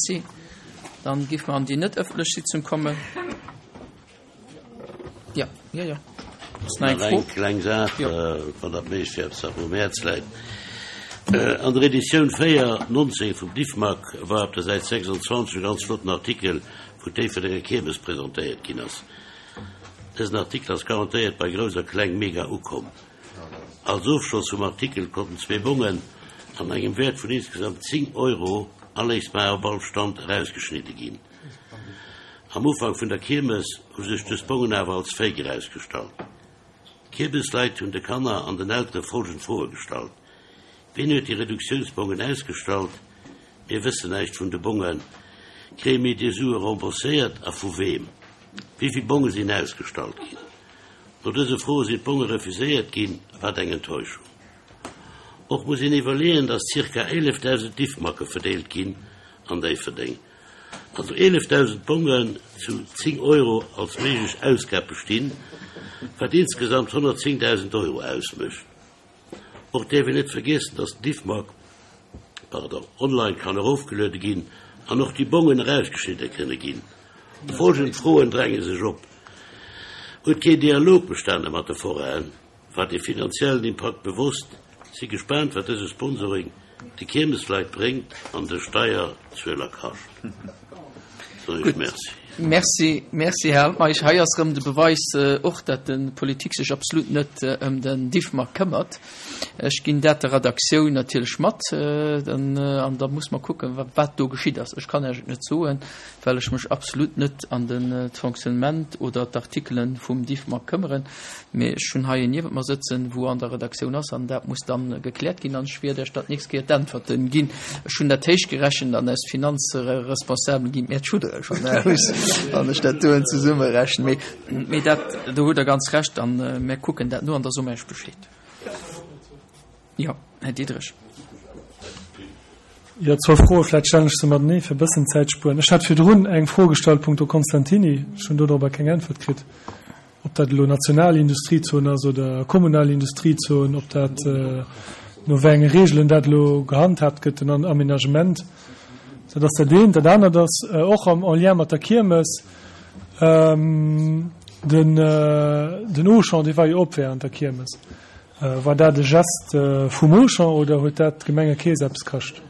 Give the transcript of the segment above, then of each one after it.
Merci. Dann géife mer an déi net ëffentlech Sitzung kommen. Jo, jo, jo. Ass nach eng Fro? Eng kleng Saach, wann dat méiglech wär, eppes wat mer um Häerz läit. An der Editioun 4, 19 vum Diffmag war op der Säit 26 e ganz flotten Artikel, wou d'Déifferdenger Kiermes presentéiert ginn ass. Dësen Artikel ass garantéiert bei Grouss a Kleng mega ukomm. Als Ofschloss vum Artikel konnten zwee Bongen an engem Wäert vun insgesamt 10 Euro aléisbar op all Stand erausgeschnidde ginn. Am Ufank vun der Kiermes hu sech dës Bongen awer als Fake erausgestallt. D'Kiermesleit hunn de Kanner an den Eltere folgend Froe gestallt, Wien huet déi Reduktiounsbongen ausgestallt? Mir wëssen näischt vun de Bongen. Kréie mir déi Sue rembourséiert a vu weem? Wéi vill Bonge sinn ausgestallt ginn? No dëse Froe sinn d'Bonge refuséiert ginn. Wat eng Enttäuschung! Och muss een iwwerleeën, datt zirka 11.000 Diffmacke verdeelt ginn an Déifferdeng. Also 11.000 Bongen zu 10 Euro als méiglech Ausgab bestinn, wat insgesamt 110.000 Euro ausmécht. Och däerf een net vergiessen, dass den Diffmag, pardon, online kann erofgeluede ginn an och déi Bongen erausgeschnidde kënne ginn. Folgend Froen dränge sech op, Huet keen Dialog bestane mat de Forainen? War de finanziellen Impakt bewosst? Si gespaant wat dëse Sponsoring de Kiermesleit bréngt an de Steierzueler kascht. Soen ech Merci. Merci, merci Här Altmeisch. Hei ass erëm de Beweis och, dat de Politik sech absolut net ëm den Diffmag këmmert. Ech ginn dat der Redaktioun natierlech mat an da muss mer kucken, wat do geschitt ass. Ech kann Iech et net soen, well ech mech absolut net an den d'Fonctionnement oder d'Artikelen vum Diffmag këmmeren, mee ech hunn hei een niewent mer sëtzen, wou an der Redaktioun ass, an dat muss dann gekläert ginn, an ech wierd Iech dat d'nächst Kéier d'Äntwerten ginn. Ech hunn dat héich gerechent an aus Finanzresponsabelen ginn mir d'Schuddere schonn aus, wann ech dat doen zesummerechnen, mee, mee dat, do hutt Der ganz Recht, an mir kucken dat no an da soe mer Iech Bescheed. Jo, Här Diderich. Jo, zwou Froe, vläicht stellen ech se matenee, fir e bëssen Zäit spueren. Ech hat virdrun eng Fro gestallt punkto Constantini. Ech hunn dodropper keng Äntwert kritt, ob dat elo national Industriezon ass oder kommunal Industriezon, ob dat, no wéi enge Reegelen dat elo gehandhaabt gëtt, den Aménagement. Dat ass dat eent. Dat anert ass och am en lien mat der Kiermes, den Auchan, dee war jo op während der Kiermes. War dat e Geste vum Auchan oder huet dat d'Gemengekeess eppes kascht?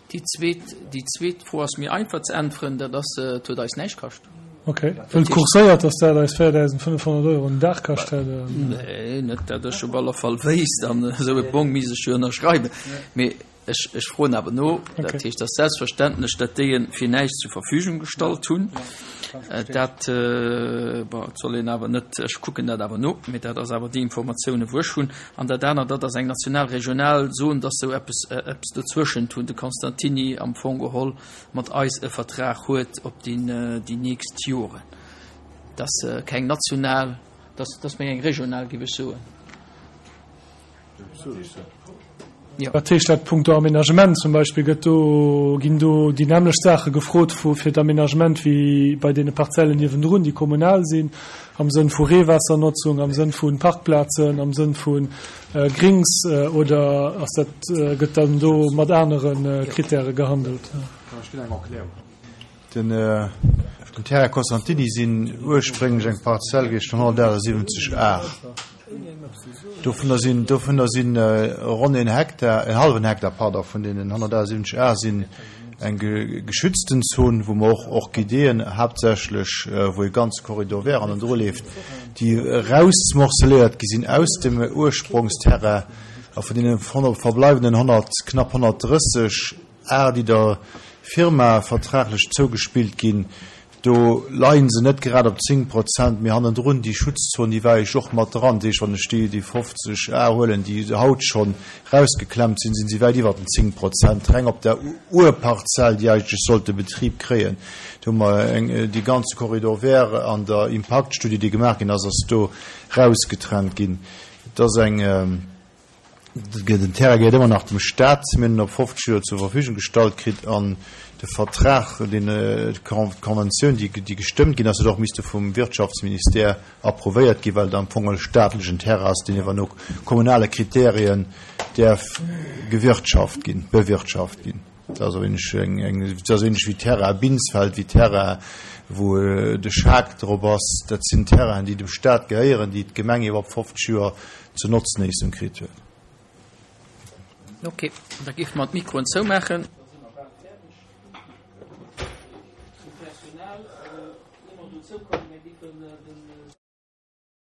Déi zweet, déi zweet Fro ass méi einfach ze äntweren, dat ass, et huet eis näischt kascht. Ok, wëll kurséiert, datt dat eis 4.500 Euro den Dag kascht hätt. Nee, net dat ech op alle Fall wéisst, an esou e Bong misst ech jo ënnerschreiwen. Mee Ech, ech froen awer no. Dat heescht, dass selbstverständlech dat déi en fir näischt zur Verfügung gestallt hunn. Dat, bon, et soll een awer net, ech kucken dat awer no, mee dat ass awer déi Informatiounen, wou ech hunn. An dat anert, dat ass eng national, regional Zon, dass esou eppes, eppes dozwëschent hunn de Constantini am Fong geholl mat eis e Vertrag huet op déi, déi nächst Joren. Dat ass keng national, dat ass méi eng regional, géif ech soen. Wat heescht dat punkto Aménagement zum Beispill? Gëtt do, ginn do déi nämmlecht Saache gefrot vu fir d'Aménagement wéi bei deene Parzellen niewendrun, déi kommunal sinn, am Sënn vu Reewaassernotzung, am Sënn vu Parkplazen, am Sënn vu Grings, oder ass dat, gëtt dann do mat anere Kritäre gehandelt? Ech ginn eng Erklärung. Den Terrain Costantini sinn ursprénglech eng Parzell gewiescht vun 178 Ar. Dovunner sinn, dovunner sinn ronn een Hektar, en hallwen Hektar, pardon, vun deenen 178 Ar sinn eng geschützten Zon, wou mer och Orchideeën haaptsächlech, wou e ganze Corridor vert hannendru leeft, déi erausmorceléiert gi sinn aus dem Ursprongsterrain. A vun deene verbleiwenden 100, knapp 130 Ar, déi der Firma vertraglech zougespillt ginn, do leie se net grad op 10 Prozent, mee hannendrun déi Schutzzon, déi war ech och mat dran. Dat heescht, wann ech déi 50 Ar huelen, déi haut schonn rausgeklemmt sinn, sinn se wäit iwwer den 10 Prozent reng op der Urparzell, déi eigentlech sollt de Betrib kréien. Do hu mer eng, dee ganze Corridor vert an der Impaktstudie, déi gemaach ginn ass, ass do rausgetrennt ginn. Et ass eng. Den Terrain gehéiert ëmmer nach dem Staat. Mir hunn en op 50 Joer zur Verfügung gestallt kritt an de Vertrag, deen, d'Konventioun, déi gestëmmt ginn ass, huet och misste vum Wirtschaftsministère approuvéiert ginn, well et am Fong e staatlechen Terrain ass, deen iwwer no kommunale Kriterien däerf gewirtschaft ginn, bewirtschaft ginn. Dat ass ähnlech eng, eng, dat ass ähnlech wéi Terrain Binsfeld, wéi Terrain, wou de Schaack drop ass. Dat sinn Terrainen, déi dem Staat gehéieren, déi d'Gemeng iwwer 50 Joer zur Notznéissung kritt huet. Ok, da géife mer d'Mikroen zoumaachen. Da si mer bal fäerdeg. Zum Personal, ier mer dozou kommen, mir géifen den.